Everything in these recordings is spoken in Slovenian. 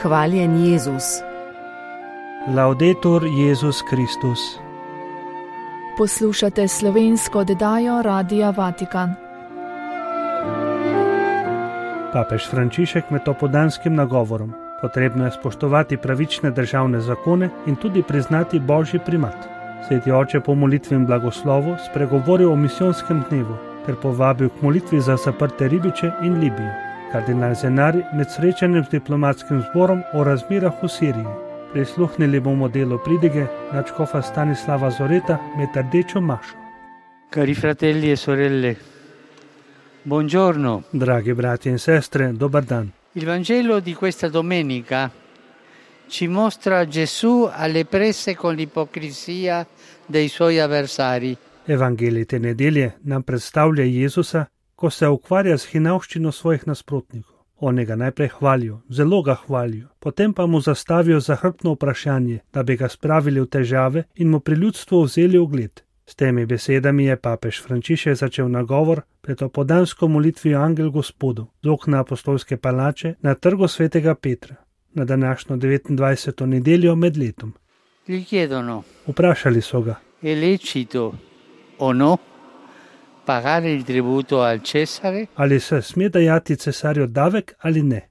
Hvaljen Jezus. Laudetur Jezus Kristus. Poslušate slovensko oddajo Radia Vatikan. Papež Frančišek med opodanskim nagovorom: potrebno je spoštovati pravične državne zakone in tudi priznati božji primat. Sveti oče po molitvi in blagoslovu spregovoril o misijonskem dnevu ter povabil k molitvi za zaprte ribiče in Libijo. Kardinal Zenari med srečanjem z diplomatskim zborom o razmerah v Siriji. Prisluhnili bomo delu pridige nadškofa Stanislava Zoreta med rdečo mašo. Cari fratelli e sorelle, buongiorno. Dragi brati in sestre, dobar dan. Il Vangelo di questa domenica ci mostra Gesù alle prese con l'ipocrisia dei suoi avversari. Evangelij te nedelje nam predstavlja Jezusa, ko se ukvarja z hinavščino svojih nasprotnikov. Oni ga najprej hvalijo, zelo ga hvalijo, potem pa mu zastavijo zahrbtno vprašanje, da bi ga spravili v težave in mu pri ljudstvu vzeli ugled. S temi besedami je papež Frančišek začel nagovor pred opodansko molitvijo Angel Gospodov z okna apostolske palače na trgu svetega Petra, na današnjo 29. nedeljo med letom. Gli chiedono: Vprašali so ga: è lecito o no pagare il tributo al Cesare? Ali se sme dajati cesarju davek ali ne?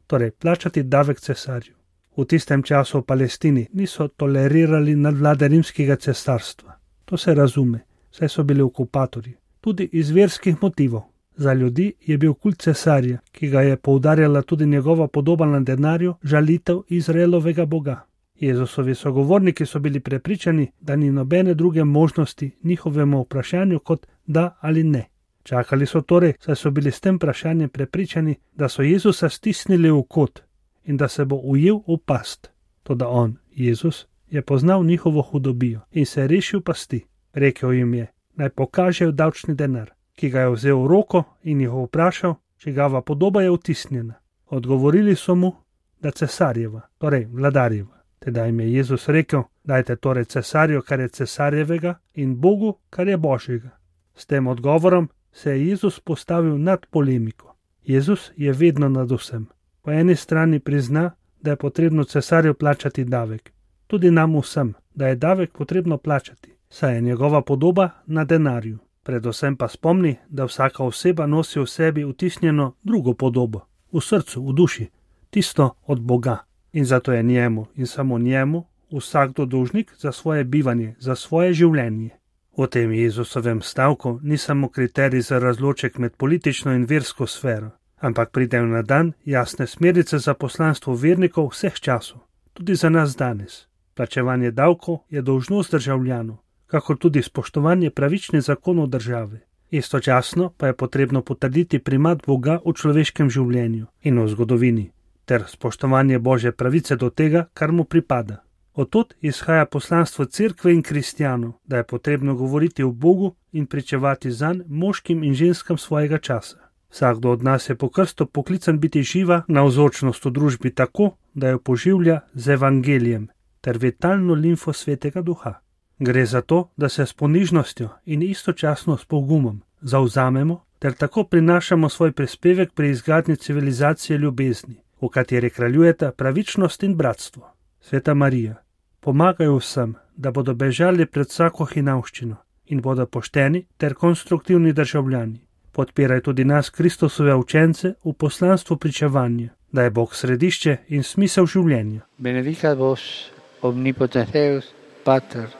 Torej, plačati davek cesarju. V tistem času v Palestini niso tolerirali nadvlade rimskega cesarstva. To se razume, saj so bili okupatorji, tudi iz verskih motivov. Za ljudi je bil kult cesarja, ki ga je poudarjala tudi njegova podoba na denarju, žalitev Izraelovega Boga. Jezusovi sogovorniki so bili prepričani, da ni nobene druge možnosti njihovemu vprašanju kot da ali ne. Čakali so torej, saj so bili s tem vprašanjem prepričani, da so Jezusa stisnili v kot in da se bo ujel v past. Toda on, Jezus, je poznal njihovo hudobijo in se rešil pasti. Rekel jim je, naj pokažejo davčni denar, ki ga je vzel v roko in jih vprašal, čigava podoba je vtisnjena. Odgovorili so mu, da cesarjeva, torej vladarjeva. Teda jim je Jezus rekel, dajte torej cesarju, kar je cesarjevega, in Bogu, kar je božjega. S tem odgovorom se je Jezus postavil nad polemiko. Jezus je vedno nad vsem. Po eni strani prizna, da je potrebno cesarju plačati davek. Tudi nam vsem, da je davek potrebno plačati, saj je njegova podoba na denarju. Predvsem pa spomni, da vsaka oseba nosi v sebi vtisnjeno drugo podobo, v srcu, v duši, tisto od Boga. In zato je njemu in samo njemu vsakdo dolžnik za svoje bivanje, za svoje življenje. V tem Jezusovem stavku ni samo kriterij za razloček med politično in versko sfero, ampak pridejo na dan jasne smernice za poslanstvo vernikov vseh časov, tudi za nas danes. Plačevanje davkov je dolžnost državljanov, kakor tudi spoštovanje pravičnih zakonov države. Istočasno pa je potrebno potrditi primat Boga v človeškem življenju in v zgodovini, ter spoštovanje Božje pravice do tega, kar mu pripada. Odtud izhaja poslanstvo cerkve in kristjanov, da je potrebno govoriti o Bogu in pričevati zanj moškim in ženskam svojega časa. Vsakdo od nas je po krstu poklican biti živa navzočnost v družbi tako, da jo poživlja z evangelijem ter vitalno limfo svetega duha. Gre za to, da se s ponižnostjo in istočasno s pogumom zavzamemo ter tako prinašamo svoj prispevek pri izgradnji civilizacije ljubezni, v kateri kraljujeta pravičnost in bratstvo. Sveta Marija, pomagaj vsem, da bodo bežali pred vsako hinavščino in bodo pošteni ter konstruktivni državljani. Podpiraj tudi nas, Kristusove učence, v poslanstvu pričevanja, da je Bog središče in smisel življenja. Benedicat vos omnipotens Deus, Pater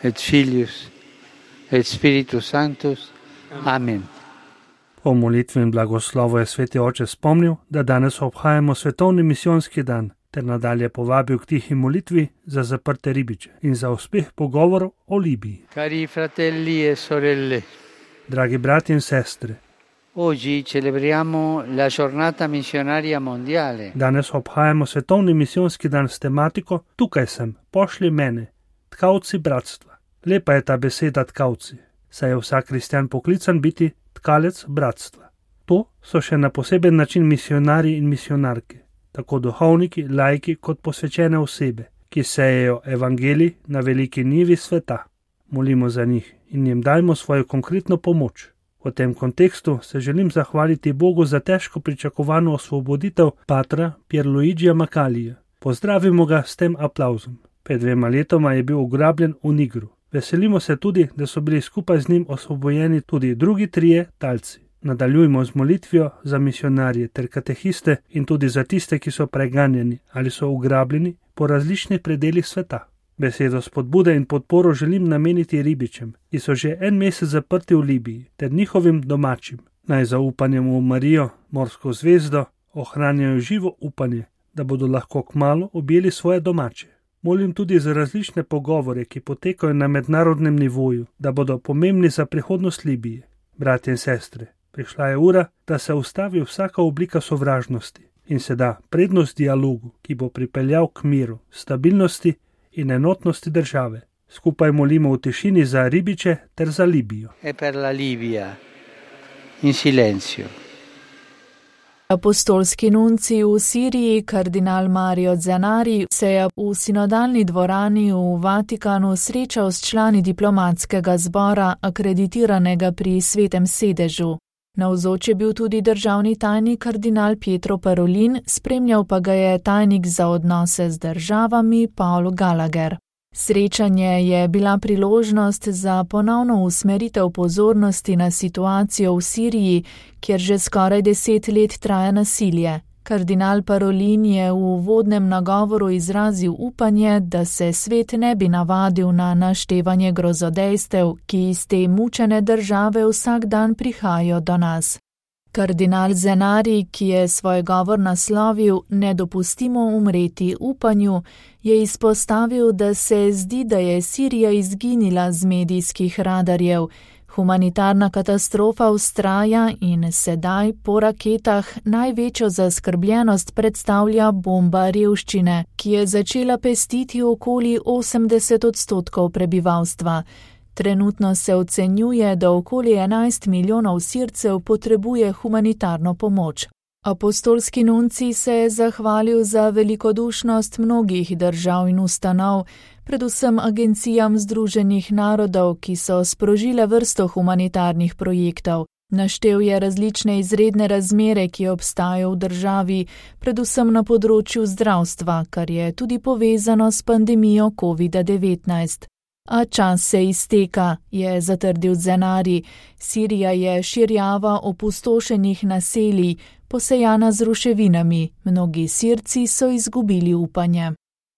et Filius et Spiritus Sanctus. Amen. Po molitvi in blagoslovu je sveti oče spomnil, da danes obhajamo svetovni misijonski dan, ter nadalje povabil k tihi molitvi za zaprte ribiče in za uspeh pogovorov o Libiji. Cari fratelli e sorelle, dragi brati in sestre, oggi celebriamo la giornata missionaria mondiale. Danes obhajamo svetovni misijonski dan s tematiko Tukaj sem, pošlji mene, tkavci bratstva. Lepa je ta beseda tkavci, saj je vsak kristjan poklican biti tkalec bratstva. To so še na poseben način misionarji in misionarke, tako duhovniki, laiki kot posvečene osebe, ki sejejo evangelij na veliki njivi sveta. Molimo za njih in jim dajmo svojo konkretno pomoč. V tem kontekstu se želim zahvaliti Bogu za težko pričakovano osvoboditev patra Pierluigija Macalija. Pozdravimo ga s tem aplavzom. Pred 2 letoma je bil ugrabljen v Nigru. Veselimo se tudi, da so bili skupaj z njim osvobojeni tudi drugi 3 talci. Nadaljujmo z molitvijo za misionarje ter katehiste in tudi za tiste, ki so preganjeni ali so ugrabljeni po različnih predelih sveta. Besedo spodbude in podporo želim nameniti ribičem, ki so že 1 mesec zaprti v Libiji, ter njihovim domačim. Naj zaupanjem v Marijo, morsko zvezdo, ohranjajo živo upanje, da bodo lahko kmalu objeli svoje domače. Molim tudi za različne pogovore, ki potekajo na mednarodnem nivoju, da bodo pomembni za prihodnost Libije. Bratje in sestre, prišla je ura, da se ustavi vsaka oblika sovražnosti in se da prednost dialogu, ki bo pripeljal k miru, stabilnosti in enotnosti države. Skupaj molimo v tišini za ribiče ter za Libijo. E per la Libia, in silenzio. Apostolski nuncij v Siriji, kardinal Mario Zenari, se je v sinodalni dvorani v Vatikanu srečal s člani diplomatskega zbora, akreditiranega pri Svetem sedežu. Navzoč je bil tudi državni tajnik kardinal Pietro Parolin, spremljal pa ga je tajnik za odnose z državami Paul Gallagher. Srečanje je bila priložnost za ponovno usmeritev pozornosti na situacijo v Siriji, kjer že skoraj 10 let traja nasilje. Kardinal Parolin je v uvodnem nagovoru izrazil upanje, da se svet ne bi navadil na naštevanje grozodejstev, ki iz te mučene države vsak dan prihajajo do nas. Kardinal Zenari, ki je svoj govor naslovil Ne dopustimo umreti upanju, je izpostavil, da se zdi, da je Sirija izginila z medijskih radarjev. Humanitarna katastrofa vztraja in sedaj po raketah največjo zaskrbljenost predstavlja bomba revščine, ki je začela pestiti okoli 80% prebivalstva. Trenutno se ocenjuje, da okoli 11 milijonov Sircev potrebuje humanitarno pomoč. Apostolski nuncij se je zahvalil za velikodušnost mnogih držav in ustanov, predvsem agencijam Združenih narodov, ki so sprožile vrsto humanitarnih projektov. Naštel je različne izredne razmere, ki obstajajo v državi, predvsem na področju zdravstva, kar je tudi povezano s pandemijo COVID-19. A čas se izteka, je zatrdil Zenari. Sirija je širjava opustošenih naselij, posejana z ruševinami. Mnogi Sirci so izgubili upanje.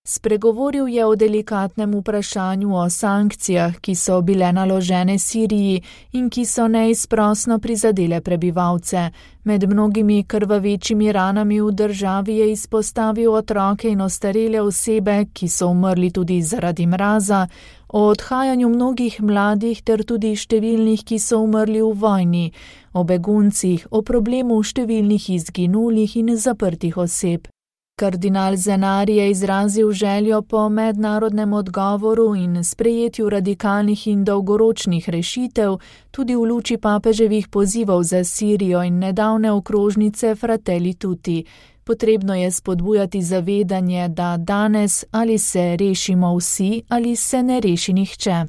Spregovoril je o delikatnem vprašanju o sankcijah, ki so bile naložene Siriji in ki so neizprosno prizadele prebivalce. Med mnogimi krvavečimi ranami v državi je izpostavil otroke in ostarele osebe, ki so umrli tudi zaradi mraza, o odhajanju mnogih mladih ter tudi številnih, ki so umrli v vojni, o beguncih, o problemu številnih izginulih in zaprtih oseb. Kardinal Zenari je izrazil željo po mednarodnem odgovoru in sprejetju radikalnih in dolgoročnih rešitev, tudi v luči papeževih pozivov za Sirijo in nedavne okrožnice Fratelli Tutti. Potrebno je spodbujati zavedanje, da danes ali se rešimo vsi ali se ne reši nihče.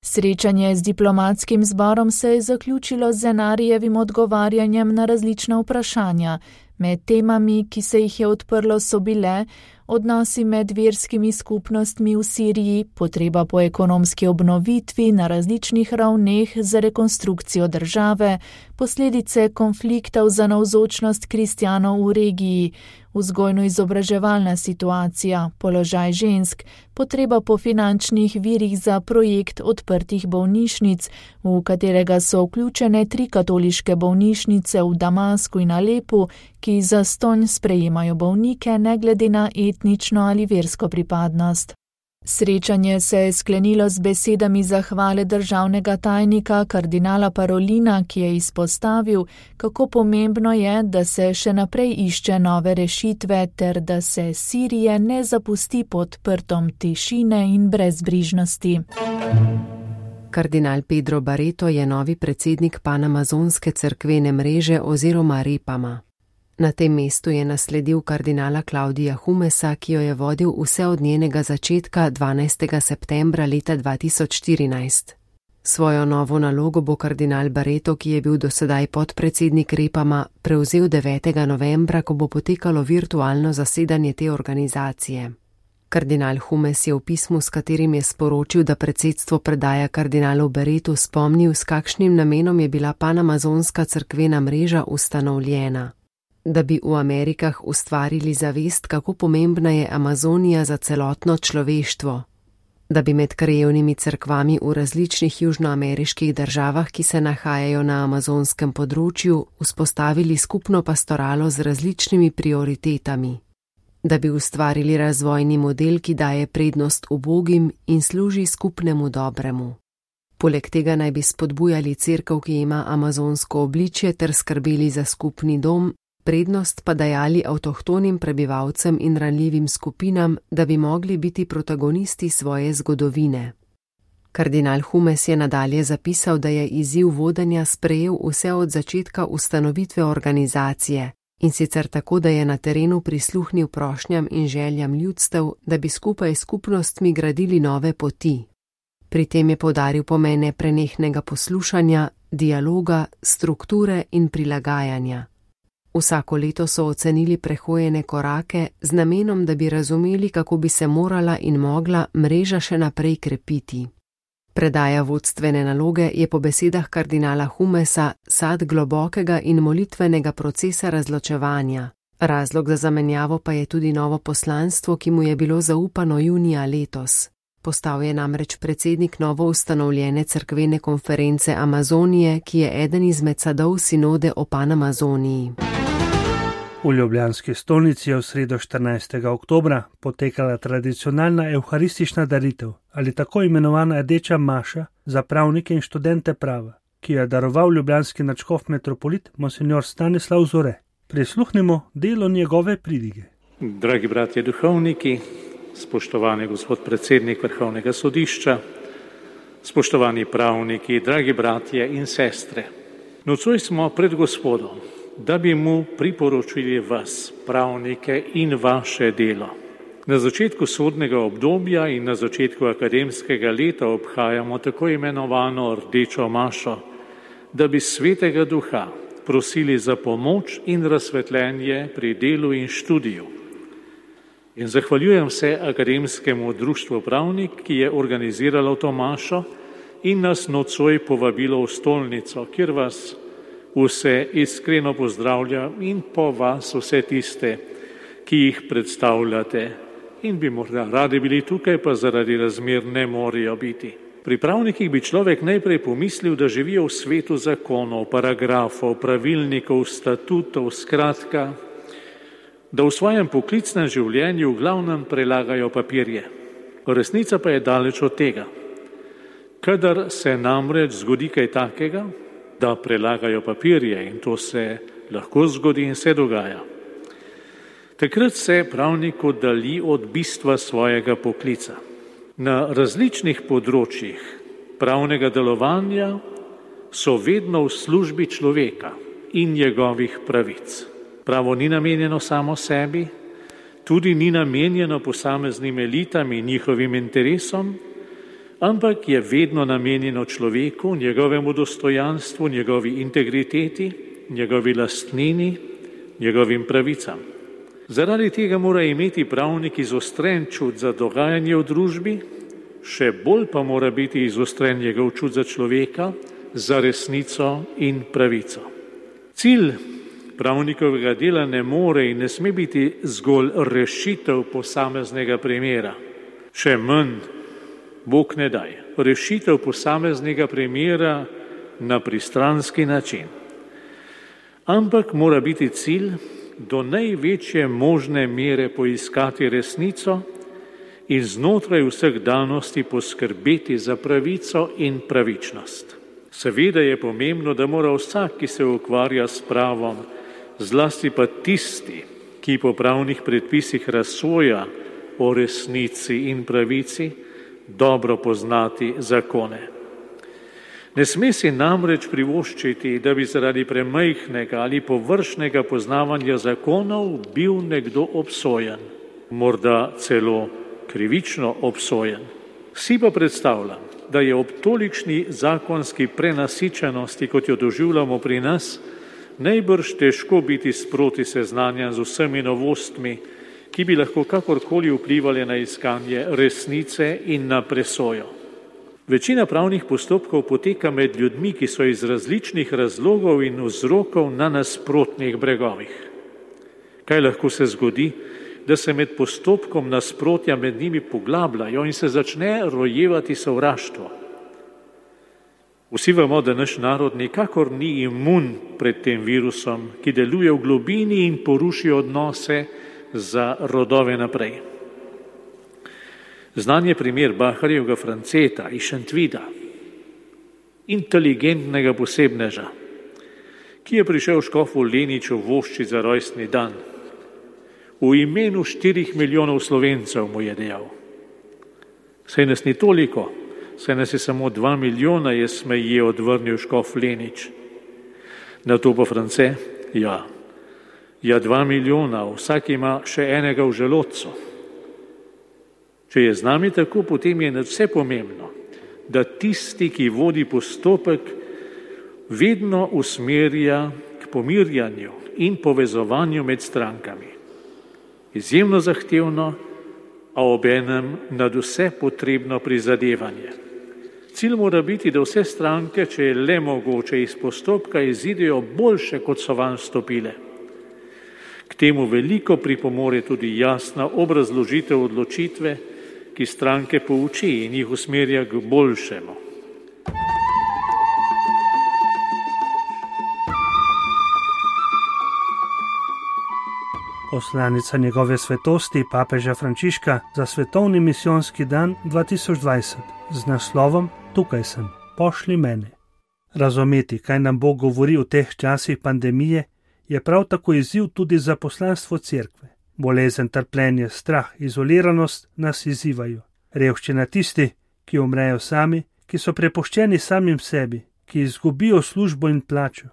Srečanje z diplomatskim zborom se je zaključilo z Zenarijevim odgovarjanjem na različna vprašanja. Med temami, ki se jih je odprlo, so bile odnosi med verskimi skupnostmi v Siriji, potreba po ekonomski obnovitvi na različnih ravneh za rekonstrukcijo države, posledice konfliktov za navzočnost kristjanov v regiji, vzgojno-izobraževalna situacija, položaj žensk, potreba po finančnih virih za projekt odprtih bolnišnic, v katerega so vključene 3 katoliške bolnišnice v Damasku in Alepu, ki zastonj sprejemajo bolnike ne glede na etnično ali versko pripadnost. Srečanje se je sklenilo z besedami zahvale državnega tajnika kardinala Parolina, ki je izpostavil, kako pomembno je, da se še naprej išče nove rešitve ter da se Sirije ne zapusti pod prtom tišine in brezbrižnosti. Kardinal Pedro Barreto je novi predsednik panamazonske cerkvene mreže oziroma Repama. Na tem mestu je nasledil kardinala Claudia Humesa, ki jo je vodil vse od njenega začetka 12. septembra leta 2014. Svojo novo nalogo bo kardinal Barreto, ki je bil dosedaj podpredsednik Repama, prevzel 9. novembra, ko bo potekalo virtualno zasedanje te organizacije. Kardinal Humes je v pismu, s katerim je sporočil, da predsedstvo predaja kardinalu Barretu, spomnil, s kakšnim namenom je bila panamazonska cerkvena mreža ustanovljena. Da bi v Amerikah ustvarili zavest, kako pomembna je Amazonija za celotno človeštvo. Da bi med krajevnimi cerkvami v različnih južnoameriških državah, ki se nahajajo na amazonskem področju, vzpostavili skupno pastoralo z različnimi prioritetami. Da bi ustvarili razvojni model, ki daje prednost ubogim in služi skupnemu dobremu. Poleg tega naj bi spodbujali cerkev, ki ima amazonsko obličje, ter skrbeli za skupni dom, prednost pa dajali avtohtonim prebivalcem in ranljivim skupinam, da bi mogli biti protagonisti svoje zgodovine. Kardinal Humes je nadalje zapisal, da je izziv vodenja sprejel vse od začetka ustanovitve organizacije, in sicer tako, da je na terenu prisluhnil prošnjam in željam ljudstev, da bi skupaj s skupnostmi gradili nove poti. Pri tem je poudaril pomen neprenehnega poslušanja, dialoga, strukture in prilagajanja. Vsako leto so ocenili prehojene korake z namenom, da bi razumeli, kako bi se morala in mogla mreža še naprej krepiti. Predaja vodstvene naloge je po besedah kardinala Humesa sad globokega in molitvenega procesa razločevanja. Razlog za zamenjavo pa je tudi novo poslanstvo, ki mu je bilo zaupano junija letos. Postal je namreč predsednik novo ustanovljene cerkvene konference Amazonije, ki je eden izmed sadov sinode o Panamazoniji. V ljubljanski stolnici je v sredo 14. oktobra potekala tradicionalna evharistična daritev ali tako imenovana rdeča maša za pravnike in študente prava, ki jo je daroval ljubljanski nadškof metropolit monsignor Stanislav Zore. Prisluhnimo delo njegove pridige. Dragi bratje duhovniki, spoštovani gospod predsednik Vrhovnega sodišča, spoštovani pravniki, dragi bratje in sestre. Nocoj smo pred Gospodom, da bi mu priporočili vas, pravnike, in vaše delo. Na začetku sodnega obdobja in na začetku akademskega leta obhajamo tako imenovano rdečo mašo, da bi Svetega Duha prosili za pomoč in razsvetljenje pri delu in študiju. In zahvaljujem se Akademskemu društvu Pravnik, ki je organiziralo to mašo in nas nocoj povabilo v stolnico, kjer vas vse iskreno pozdravlja in po vas vse tiste, ki jih predstavljate in bi morda radi bili tukaj, pa zaradi razmer ne morejo biti. Pri pravnikih bi človek najprej pomislil, da živijo v svetu zakonov, paragrafov, pravilnikov, statutov, skratka, da v svojem poklicnem življenju v glavnem prelagajo papirje. Resnica pa je daleč od tega. Kadar se namreč zgodi kaj takega, da prelagajo papirje, in to se lahko zgodi in se dogaja, takrat se pravnik oddalji od bistva svojega poklica. Na različnih področjih pravnega delovanja so vedno v službi človeka in njegovih pravic. Pravo ni namenjeno samo sebi, tudi ni namenjeno posameznim elitam in njihovim interesom, ampak je vedno namenjeno človeku, njegovemu dostojanstvu, njegovi integriteti, njegovi lastnini, njegovim pravicam. Zaradi tega mora imeti pravnik izostren čut za dogajanje v družbi, še bolj pa mora biti izostren njegov čut za človeka, za resnico in pravico. Cilj pravnikovega dela ne more in ne sme biti zgolj rešitev posameznega primera. Še manj, Bog ne daj, rešitev posameznega primera na pristranski način. Ampak mora biti cilj do največje možne mere poiskati resnico in znotraj vseh danosti poskrbeti za pravico in pravičnost. Seveda je pomembno, da mora vsak, ki se ukvarja s pravom, zlasti pa tisti, ki po pravnih predpisih razsoja o resnici in pravici, dobro poznati zakone. Ne sme si namreč privoščiti, da bi zaradi premajhnega ali površnega poznavanja zakonov bil nekdo obsojen, morda celo krivično obsojen. Si pa predstavljam, da je ob tolikšni zakonski prenasičenosti, kot jo doživljamo pri nas, najbrž težko biti sproti seznanjen z vsemi novostmi, ki bi lahko kakorkoli vplivali na iskanje resnice in na presojo. Večina pravnih postopkov poteka med ljudmi, ki so iz različnih razlogov in vzrokov na nasprotnih bregovih. Kaj lahko se zgodi, da se med postopkom nasprotja med njimi poglabljajo in se začne rojevati sovraštvo? Vsi vemo, da naš narod nikakor ni imun pred tem virusom, ki deluje v globini in poruši odnose za rodove naprej. Znan je primer Baharjevega Franceta iz Šentvida, inteligentnega posebneža, ki je prišel škofu Leniču voščit za rojstni dan. V imenu 4 milijonov Slovencev mu je dejal: saj nas ni toliko, saj nas je samo 2 milijona, je smeje odvrnil škof Lenič. Na to pa France: ja, 2 milijona, vsak ima še enega v želodcu. Če je z nami tako, potem je nadvse pomembno, da tisti, ki vodi postopek, vedno usmerja k pomirjanju in povezovanju med strankami. Izjemno zahtevno, a obenem nadvse potrebno prizadevanje. Cilj mora biti, da vse stranke, če je le mogoče, iz postopka izidejo boljše, kot so vanj vstopile. K temu veliko pripomore tudi jasna obrazložitev odločitve, ki stranke pouči in jih usmerja k boljšemu. Poslanica njegove svetosti papeža Frančiška za svetovni misijonski dan 2020 z naslovom Tukaj sem, pošli mene. Razumeti, kaj nam Bog govori v teh časih pandemije, je prav tako izziv tudi za poslanstvo cerkve. Bolezen, trpljenje, strah, izoliranost nas izzivajo. Revščina tisti, ki umrejo sami, ki so prepuščeni samim sebi, ki izgubijo službo in plačo,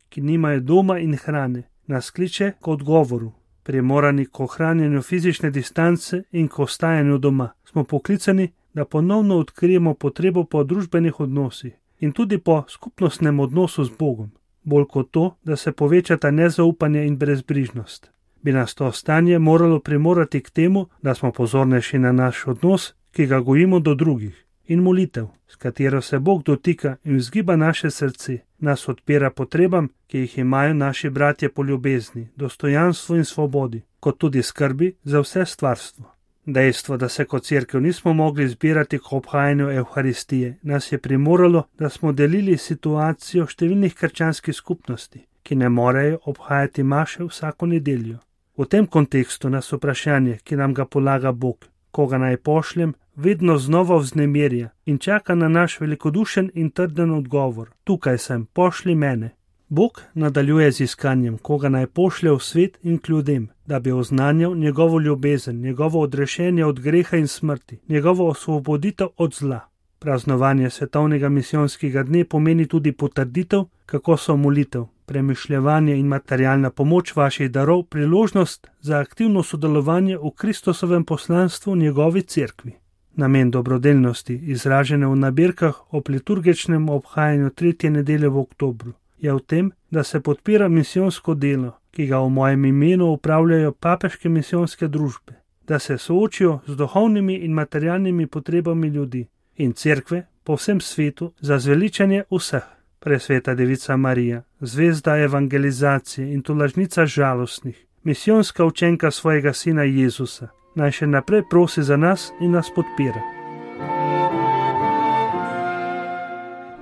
ki nimajo doma in hrane, nas kliče k odgovoru. Primorani k ohranjanju fizične distance in k ostajanju doma. Smo poklicani, da ponovno odkrijemo potrebo po družbenih odnosih in tudi po skupnostnem odnosu z Bogom. Bolj kot to, da se povečata nezaupanje in brezbrižnost. Bi nas to stanje moralo primorati k temu, da smo pozornejši na naš odnos, ki ga gojimo do drugih, in molitev, s katero se Bog dotika in vzgiba naše srce, nas odpira potrebam, ki jih imajo naši bratje po ljubezni, dostojanstvu in svobodi, kot tudi skrbi za vse stvarstvo. Dejstvo, da se kot cerkev nismo mogli zbirati k obhajanju Evharistije, nas je primoralo, da smo delili situacijo številnih krščanskih skupnosti, ki ne morejo obhajati maše vsako nedeljo. V tem kontekstu nas vprašanje, ki nam ga polaga Bog, koga naj pošljem, vedno znova vznemirja in čaka na naš velikodušen in trden odgovor. Tukaj sem, pošli mene. Bog nadaljuje z iskanjem, koga naj pošlje v svet in k ljudem, da bi oznanjal njegovo ljubezen, njegovo odrešenje od greha in smrti, njegovo osvoboditev od zla. Praznovanje svetovnega misijonskega dne pomeni tudi potrditev, kako so molitev, premišljevanje in materialna pomoč vaših darov priložnost za aktivno sodelovanje v Kristusovem poslanstvu njegovi cerkvi. Namen dobrodelnosti, izražene v nabirkah ob liturgičnem obhajanju 3. nedelje v oktobru, je v tem, da se podpira misijonsko delo, ki ga v mojem imenu upravljajo papeške misijonske družbe, da se soočijo z duhovnimi in materialnimi potrebami ljudi in cerkve po vsem svetu za zveličanje vseh. Presveta Devica Marija, zvezda evangelizacije in tolažnica žalostnih, misijonska učenka svojega sina Jezusa, naj še naprej prosi za nas in nas podpira.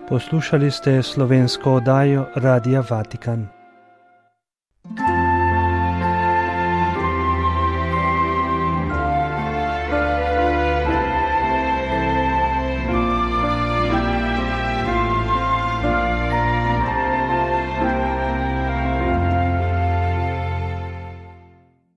Poslušali ste slovensko oddajo Radia Vatikan.